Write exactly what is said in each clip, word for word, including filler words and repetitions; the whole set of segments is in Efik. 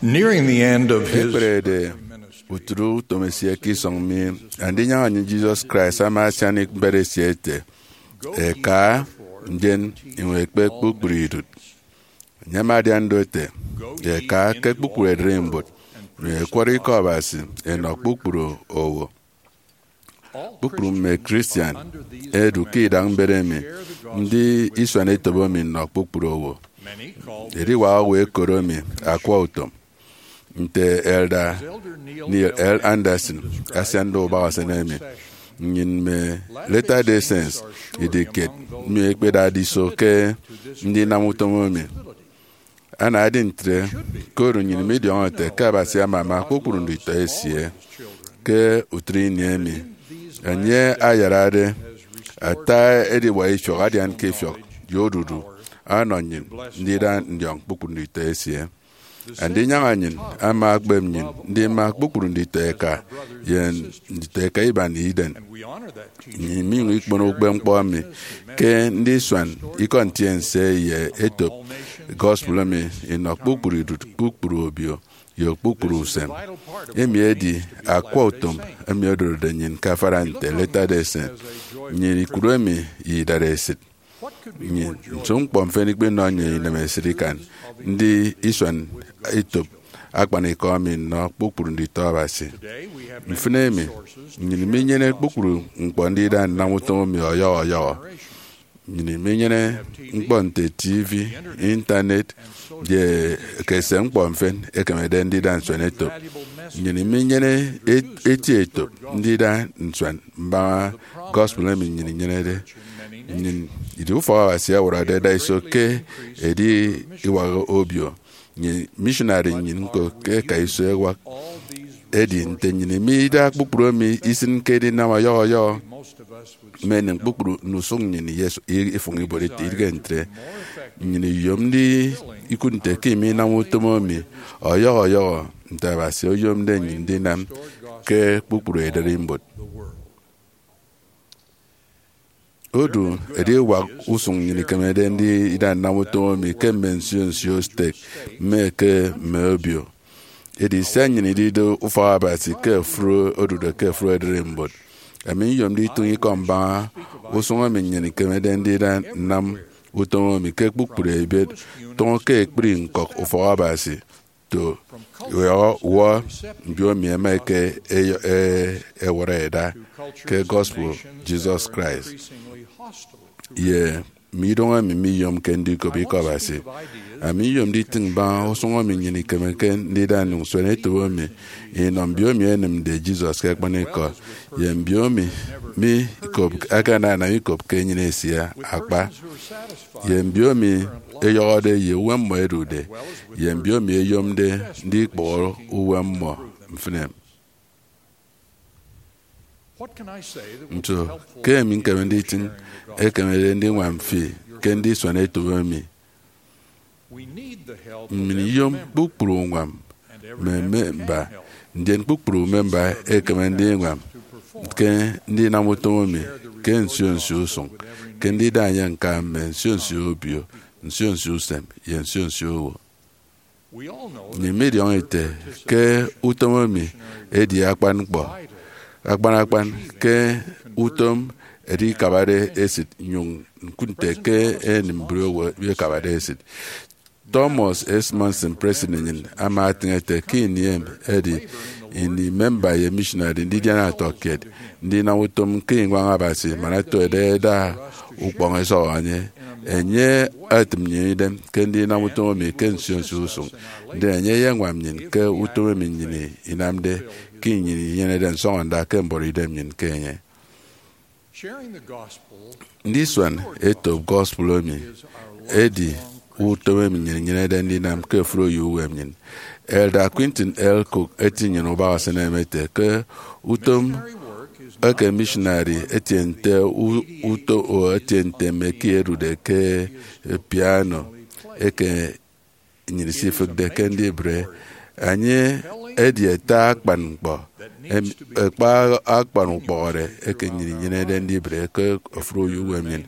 Nearing the end of his Ekperede utu utom esie ke isọñ mi, Andinyaña nnyịn Jesus Christ ama asian mbet esie ete, "Ẹka, ndien inyụñ ẹkpe kpukpru idụt." Enye ama adian do ete, "Ẹka ke kpukpru ererimbot, nnyụñ ẹkwọrọ ikọ Abasi ẹnọ kpukpru owo." Kpukpru mme Christian ẹdu ke idak mbet emi, ndi isuan etop emi nnọ kpukpru owo. Ediwak owo ẹkoro mi akwa utom. Nte Elder Neil L. Andersen asiande ubak usen emi, nnyịn mme Latter-day Saints idi kiet emi ẹkpedade iso ke ndinam utom emi. Ana edi ntre, koro nnyịn midiọñọ ete ke Abasi amama kpukpru nditọ esie. Ke utre ini emi, enye ayarade ata ediwak ifiọk adian ke ifiọk ye odudu ọnọ nnyịn ndida ndiọñ kpukpru nditọ esie. Andinyaña nnyịn ama akpep nnyịn ndima kpukpru nditọ eka ye nditọ eka iban iden. Nnyịn minyụñ ikpono ukpepñkpọ emi ke ndisuan ikọ ntiense ye etop gospel emi inọ kpukpru idụt, kpukpru obio, ye kpukpru usem. Emi edi akwa utom emi odorode nnyịn ke afara nte Latter-day Saint. Nnyịn ikụre emi ye idaresit. Nnyịn, nso ñkpọ mfịn ikpenọ nnyịn inemesịt ikan ndi isuan etop akpanikọ emi nnọ kpukpru nditọ Abasi? Mfịn emi, nnyịn minyene kpukpru ñkpọ ndida nnam utom emi ọyọhọ ọyọhọ. Nnyịn minyene ñkpọ nte T V, Intanet, ye ekese ñkpọ mfịn ẹkemede ndida nsuan etop. Nnyịn minyene et-, eti etop ndida nsuan mbaña gospel emi nnyịn inyenede. Nnyịn idi ufọk Abasi ẹwọrọde ẹda iso ke ediwak obio. Nnyịn missionary nnyịn ñko ke ẹka iso ẹwak. Edi nte nnyịn imida kpukpru emi isịn ke edinam ọyọhọ ọyọhọ, mme enem kpukpru ndusụk nnyịn iyes-, i-, ifụñ ibuot ete. Idighe ntre, nnyịn iyom ndi ikụt nte ke iminam utom emi ọyọhọ ọyọhọ nte Abasi oyomde nnyịn ndinam ke kpukpru ererimbot. Odu ediwak usụñ nnyịn ikemede ndida nnam utom emi ke mme nsio nsio stek, mme ke mme obio. Edi sia nnyịn ididu ufọk Abasi ke ofụri odude ke ofụri ererimbot, ami nyomde itụñ ikọ mbaña usụñ emi nnyịn ikemede ndida nnam utom emi ke kpukpru ebiet, tụñọ ke ekpri ñkọk ufọk Abasi, to, wọ, wọ, mbiomi ẹma ẹka ẹyọ-, ẹ-, ẹwọrọ ẹda ke gospel Jesus Christ ye mme idoñ emi miyomke ndikop ikọ Abasi. Ami nyomde itịñ mbaña usụñ emi nnyịn ikemeke ndida nsuan etop emi inọ mbiomi ẹnịmde Jesus ke akpanikọ, ye mbiomi mi ikop, akanana ikop ke enyịn esie akpa, ye mbiomi ẹyọhọde ye uwem mmọ ẹdude, ye mbiomi ẹyomde ndikpụhọ uwem mmọ mfịn. Nso ke emi ñkeme nditịñ ekemede ndiñwam fi ke ndisuan etop emi? Nnyịn iyom kpukpru uñwam mme memba, ndien kpukpru memba ekeme ndiñwam ke ndinam utom emi ke nsio nsio usụñ, ke ndida enye ñka mme nsio nsio obio, nsio nsio usem, ye nsio nsio owo. Nnyịn midiọñọ ete ke utom emi edi akpan ñkpọ, akpan akpan ke utom ẹdikabade esịt, nyụñ ñkụt nte ke enim mbri owo ẹkabade esịt. Thomas S. Monson, president nnyịn, ama etịñ ete ke ini emi edi ini memba ye missionary ndidiana ọtọkiet ndinam utom ke iñwañ Abasi man ẹto ẹda ẹda ukpọñ ẹsọhọ enye. Enye etịm nnyịn idem ke ndinam utom emi ke nsio nsio usụñ, ndien enye eyeñwam nnyịn ke utom emi nnyịn inamde ke nnyịn inyenede nsọñọnda ke mbuọtidem nnyịn ke enye. Ndisuan etop gospel emi edi utom emi nnyịn inyenede ndinam ke ofụri oyio uwem nnyịn. Elder Quentin L. Cook eti nnyịn ubak usen emi ete ke utom eke missionary etie nte u-, uto o etie nte mme eki ẹdude ke piano eke nnyịn isifịkde ke ndibre. Enye edi ata akpan ñkpọ, em, ekpa akpan ukpọhọde eke nnyịn inyenede ndibre ke ofụri oyio uwem nnyịn.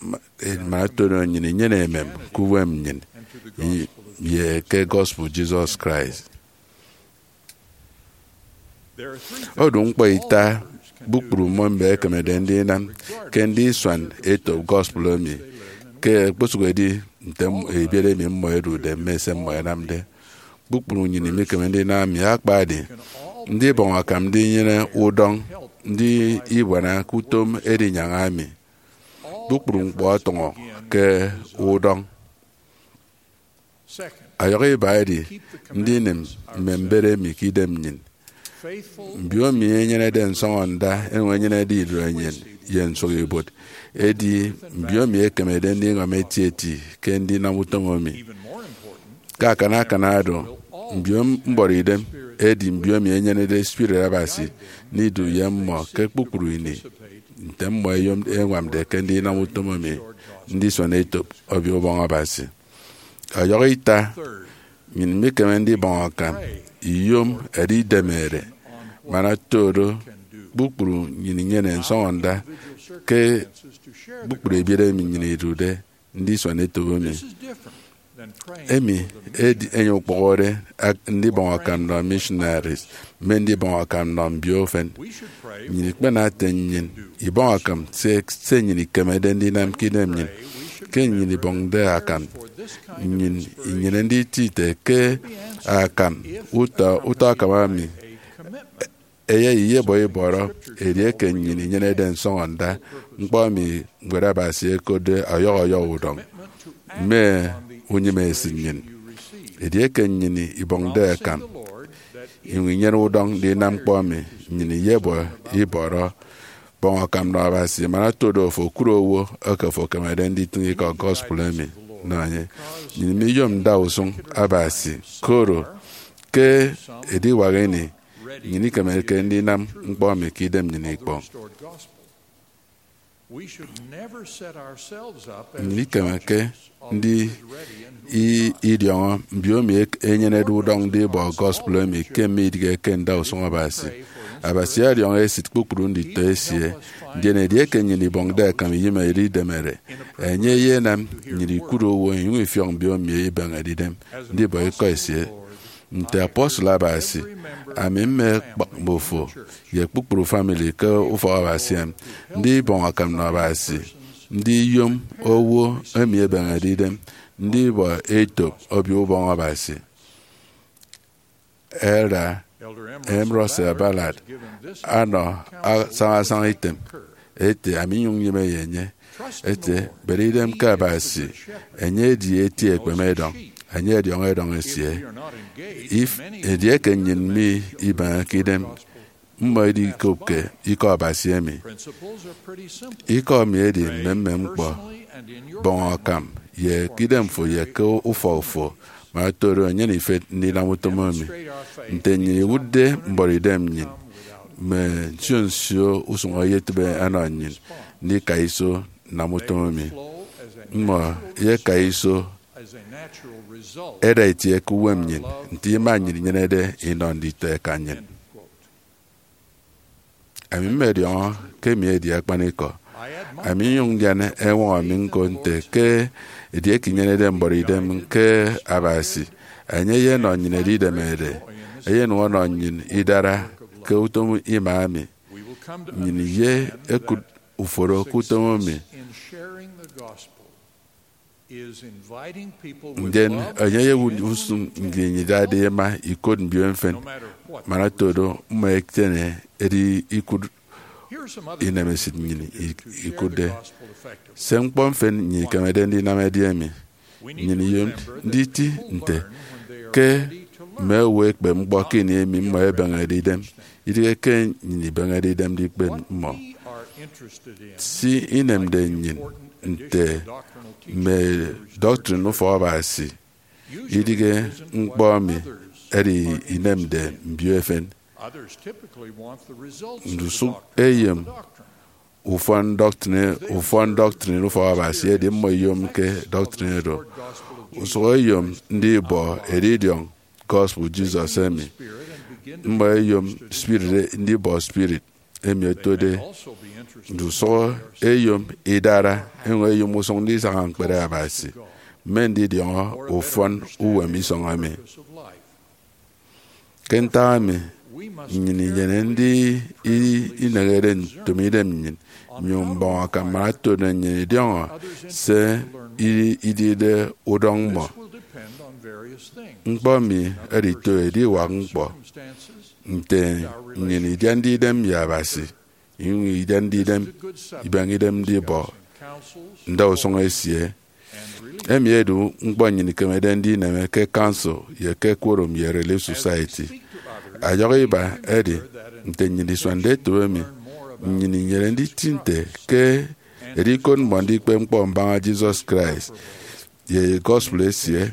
Ma, eh, man otono nnyịn inyene emem ke uwem nnyịn. I-, ye ke gospel Jesus Christ. Odu ñkpọ ita kpukpru mme mbet ẹkemede ndinam ke ndisua etop gospel emi, ke okposụkedi nte ebiet emi mmọ ẹdude mme se mmọ ẹnamde. Kpukpru nnyịn mikeme ndinam mi, akpadi ndibọñ akam ndinyene udọñ ndibuana ke utom edinyaña mi. Kpukpru ñkpọ ọtụñọ ke udọñ. Ọyọhọ iba edi ndinịm mme mbet emi ke idem nnyịn. Mbio emi enyenede nsọñọnda, enyụñ enyenede ido enyịn ye nsụk ibuot, edi mbio emi ekemede ndiñwam etieti ke ndinam utom emi. Ke akana akana do, mbio mbọrọidem edi mbio emi enyenede Spirit Abasi ndidu ye mmọ ke kpukpru ini, nte mmọ ẹyom ẹñwamde ke ndinam utom emi ndisuan etop Obio Ubọñ Abasi. Ọyọhọ ita, nnyịn mikeme ndibọñ akam iyom ẹdidemede, man oto do, kpukpru nnyịn inyene nsọñọnda ke kpukpru ebiet emi nnyịn idude ndisuan etop emi. Emi edi enye okpụhọde ak-, ndibọñ akam nnọ missionaries, mme ndibọñ akam nnọ mbio ufen. Nnyịn ikpena ete nnyịn ibọñ akam se, se nnyịn ikemede ndinam ke idem nnyịn. Ke nnyịn ibọñde akam, nnyịn inyene nditi ite ke akam, utọ, utọ akam ami, eyai iyebọ ibọrọ edieke nnyịn inyenede nsọñọnda ñkpọ emi Ñwed Abasi ekotde ọyọhọ ọyọhọ udọñ mme unyịme esịt nnyịn. Edieke nnyịn ibọñde akam, inyụñ inyene udọñ ndinam ñkpọ emi, nnyịn iyebọ ibọrọ, bọñ akam nọ Abasi, man oto do, fo kụt owo eke fo ekemede nditịñ ikọ gospel emi nọ enye. Nnyịn miyom ndausụñ Abasi, koro ke ediwak ini, nnyịn ikemeke ndinam ñkpọ emi ke idem nnyịn ikpọ. Nnyịn ikemeke ndi i-, idiọñọ mbio emi ek-, enyenede udọñ ndibọ gospel emi ke mme idige ke ndausụñ Abasi. Abasi ọdiọñọ esịt kpukpru nditọ esie, ndien edieke nnyịn ibọñde akam iyom edidemede, enye eyenam nnyịn ikụt owo inyụñ ifiọk mbio emi ibeñede idem ndibọ ikọ esie. Nte apostle Abasi, ami mme ekpak mbufo ye kpukpru family ke ufọk Abasi emi, ndibọñ akam nnọ Abasi, ndiyom owo emi ebeñede idem ndibọ etop Obio Ubọñ Abasi. Elder M. Russell Ballard anọ asañasaña item ete, ami nyụñ nyịme ye enye, ete, bere idem ke Abasi, enye edi eti ekpeme edọñ, enye ọdiọñọ edọñ esie. If, edieke nnyịn mi ibeñeke idem, mmọ idikopke ikọ Abasi emi. Ikọ mi edi mmemmem ñkpọ, bọñ akam ye ke idem fo ye ke ufọk fo, man oto do, nyene ifet ndinam utom emi. Nte nnyịn iwụtde mbọrọidem nnyịn, mme nsio nsio usụñ eyetịbe ẹnọ nnyịn ndika iso nnam utom emi. Mmọ eyeka iso ẹda itie ke uwem nnyịn, nte ima nnyịn inyenede inọ nditọ eka nnyịn. Ami mmọdiọñọ ke emi edi akpanikọ. Ami nyụñ ndian eñwọñọ mi ñko nte ke edieke inyenede mbọrọidem ke Abasi, enye eyenọ nnyịn edidemede, eyenụñ ọnọ nnyịn idara ke utom ima emi. Nnyịn ye ekụt uforo ke utom emi. Ndien enye eyewụt usụñ nnyịn idade ima ikot mbio mfịn, man oto do mmọ ẹtiene edi ikụt inemesịt nnyịn i-, ikụtde. Se ñkpọ mfịn nnyịn ikemede ndinam edi emi. Nnyịn iyom nditi nte ke mme owo ẹkpep ñkpọ ke ini emi mmọ ẹbeñede idem, idighe ke nnyịn ibeñede idem ndikpep mmọ. Se inemde nnyịn nte mme doctrine ufọk Abasi, idighe ñkpọ emi edi inemde mbio efen. Ndusụk eyom ufọn doctrine, ufọn doctrine ufọk Abasi edi mmọ iyomke doctrine oro. Usụk eyom ndibọ edidiọñ gospel Jesus emi. Mmọ eyom spirit ndibọ spirit emi otode. Ndusụk eyom idara, enyụñ eyom usụñ ndisaña ñkpere Abasi. mme ndidiọñọ ufọn uwem isọñ emi. Ke ntak emi, nnyịn inyene ndi i- inehede ntom idem nnyịn, nyụñ mbọñ akan man otodo nnyịn idiọñọ se i- idide udọñ mmọ. Ñkpọ emi edito ediwak ñkpọ nte nnyịn idiande idem ye Abasi, inyụñ idiande idem, ibeñe idem ndibọ ndausụñ esie. Emi edi ñkpọ nnyịn ikemede ndineme ke council ye ke quorum ye Relief Society. Ọyọhọ iba edi, nte nnyịn isuande etop emi, nnyịn inyene nditi nte ke edikot mmọ ndikpep ñkpọ mbaña Jesus Christ ye gospel esie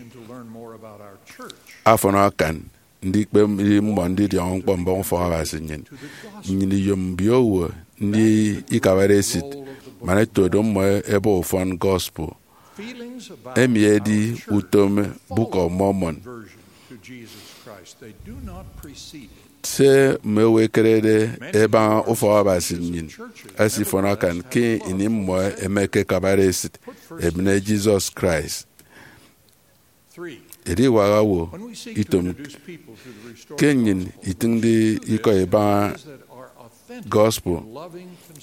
afọn akan ndikpep mmọ ndidiọñọ ñkpọ mbaña ufọk Abasi nnyịn. Nnyịn iyom mbio owo ndi ikabade esit man ẹto do mmọ ẹbọ ufọn gospel. Emi edi utom Book of Mormon. Se mme owo ẹkerede ẹbaña ufọk Abasi nnyịn esifọn akan ke ini mmọ ẹmekekabade esit ẹbịne Jesus Christ. Ediwak owo itom ke nnyịn itịñde ikọ ibaña gospel,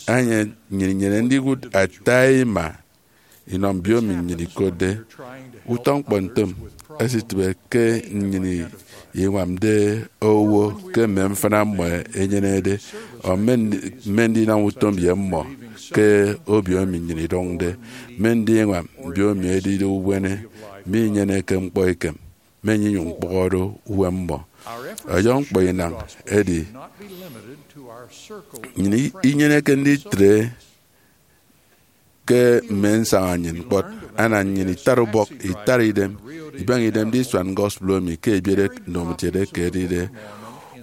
anie nnyịn inyene ndiwụt ata ima inọ mbiomi nnyịn ikotde. Utọ ñkpọ ntem esitịbe ke nnyịn iñwamde owo ke mme mfịna mmọ ẹnyenede, ọ mme ndi- mme ndinam utom ye mmọ ke obio emi nnyịn idụñde, mme ndiñwam mbiomi ẹdide ubuene minyeneke ñkpọ ekem, mme nnyụñ ñkpọhọde uwem mmọ. Ọyọhọ ñkpọ inañ edi, nnyịn inyeneke nditre ke mme nsaña nnyịn kpọt. Ana nnyịn itara ubọk, itara idem, ibeñe idem ndisuan gospel emi ke ebiet ndomokiet eke edide.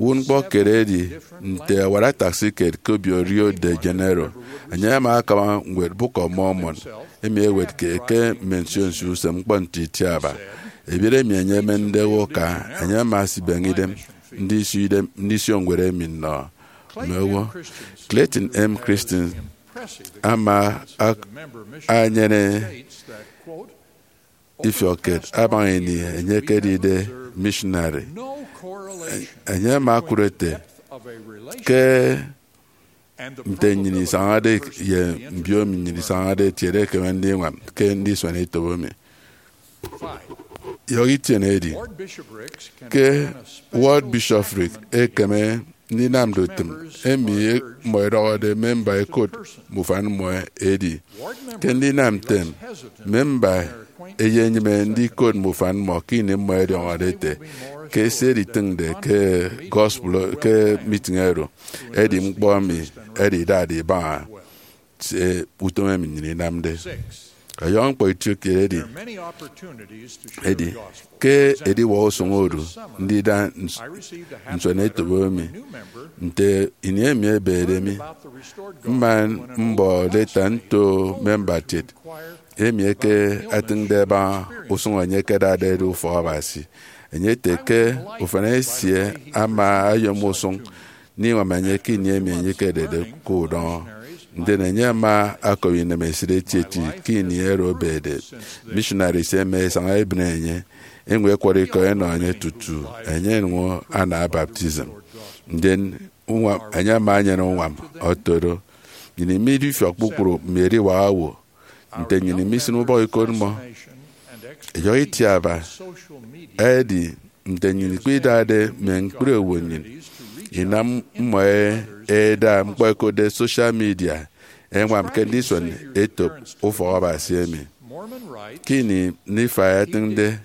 Uwụtñkpọ kiet edi nte ẹwara taxi kiet ke obio Rio de Janeiro. Enye ama akama ñwed Book of Mormon, emi ewetke ke mme nsio nsio usem ñkpọ nte itiaba. Ebiet emi enye emende owo aka, enye ama asibeñe idem ndisio idem, ndisio ñwed emi nnọ mme owo. Clayton M. Christensen ama ak- anyene ifiọkkiet abaña ini enye ekedide missionary. Enye ama okụt ete ke nte nnyịn isañade ye mbiomi nnyịn isañade etiede ekeme ndiñwam ke ndisuan etop emi. Yọhọ itiene edi ke ward bishopric ekeme ndinamde utịm emi mmọ ẹdọhọde memba ẹkot mme ufan mmọ edi. Ke ndinam ntem, memba eyenyịme ndikot mme ufan mmọ ke ini mmọ ẹdiọñọde ete ke se editịñde ke gospel ke meeting oro edi ñkpọ emi ẹdidade ibaña se utom emi nnyịn inamde. Ọyọhọ ñkpọ itiokiet edi, edi ke ediwak usụñ odu ndida ns- nsuan etop emi. Nte ini emi ebede mi, mma mbọ leta nto memba kiet emi eke atịñde ẹbaña usụñ enye ẹkedade ẹdu ufọk Abasi. Enye ete ke ufan esie ama oyom usụñ ndiñwam enye ke ini emi enye ekedede ke udọñọ. Ndien enye ama ọkọbi inemesịt etieti ke ini oro ebede. Missionaries ẹma ẹsaña ẹbịne enye, eñwen ẹkwọrọ ikọ ẹnọ enye tutu enye enyụñ ana baptism. Ndien uñwam, enye ama enyene uñwam ọto do. Nnyịn imidifiọk kpukpru mme ediwak owo nte nnyịn imisịn ubọk ikot mmọ. Ẹyọhọ itiaba edi nte nnyịn ikpidade mme ñkpri owo nnyịn inam mmọ e- ẹda ñkpọ ẹkotde social media ẹñwam ke ndisuan etop ufọk Abasi emi. Ke ini Nifai etịñde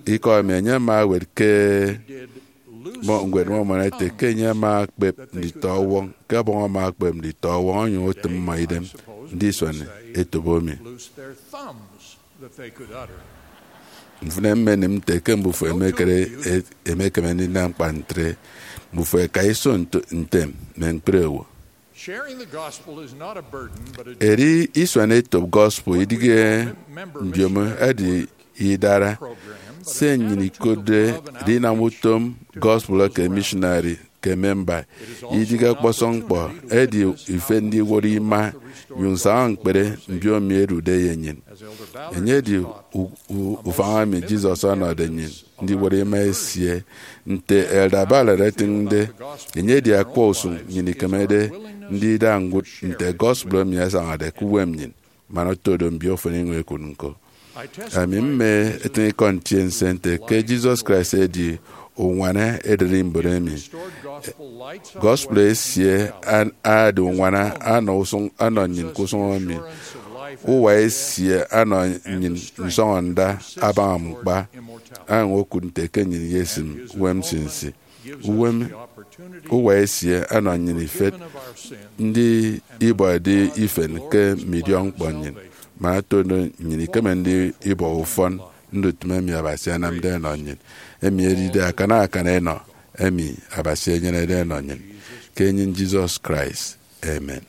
ikọ emi, enye ama ewet ke Mọ- ñwed Mormon ete ke enye ama ekpep nditọ ọwọñ, ke Ọbọñ ama ekpep nditọ ọwọñ onyụñ otịm mmọ idem ndisuan etop emi. Mfịn emi menịm nte ke mbufo emekere, emekeme ndinam kpa ntre, mbufo ẹka iso nto- ntem mme ñkpri owo. Edi isuan etop gospel idịghe mbiomo, edi idara. Se nnyịn ikotde edinam utom gospel eke missionary ke memba. Idige ọkpọsọñ ñkpọ edi ife ndiwọrọ ima ye usaña ñkpere mbiomi edude ye nnyịn. Enye edi u- u- ufañ emi Jesus ọnọde nnyịn ndiwọrọ ima esie. Nte Elder Ballard etịñde, enye edi akwa usụñ nnyịn ikemede ndida ñwụt nte gospel emi asañade ke uwem nnyịn man oto do mbio ufọn iñwañ ekụt ñko. Ami mme etịñikọ ntiense nte ke Jesus Christ edi uñwana ederi mbon emi. Gospel esie an- adi uñwana ọnọ usụñ ọnọ nnyịn ke usụñ emi. Uwa esie ọnọ nnyịn nsọñọnda abaña ñkpa, añwañ okụt nte ke nnyịn iyesịm uwem nsinsi. Uwem uwa esie ọnọ nnyịn ifet ndi ibọde ifen ke mme idiọkñkpọ nnyịn, man oto do nnyịn ikeme ndi ibọhọ ufọn ndutịm emi Abasi anamde ọnọ nnyịn, emi edide akana akana enọ emi Abasi enyenede ọnọ nnyịn, ke enyịñ Jesus Christ. Amen.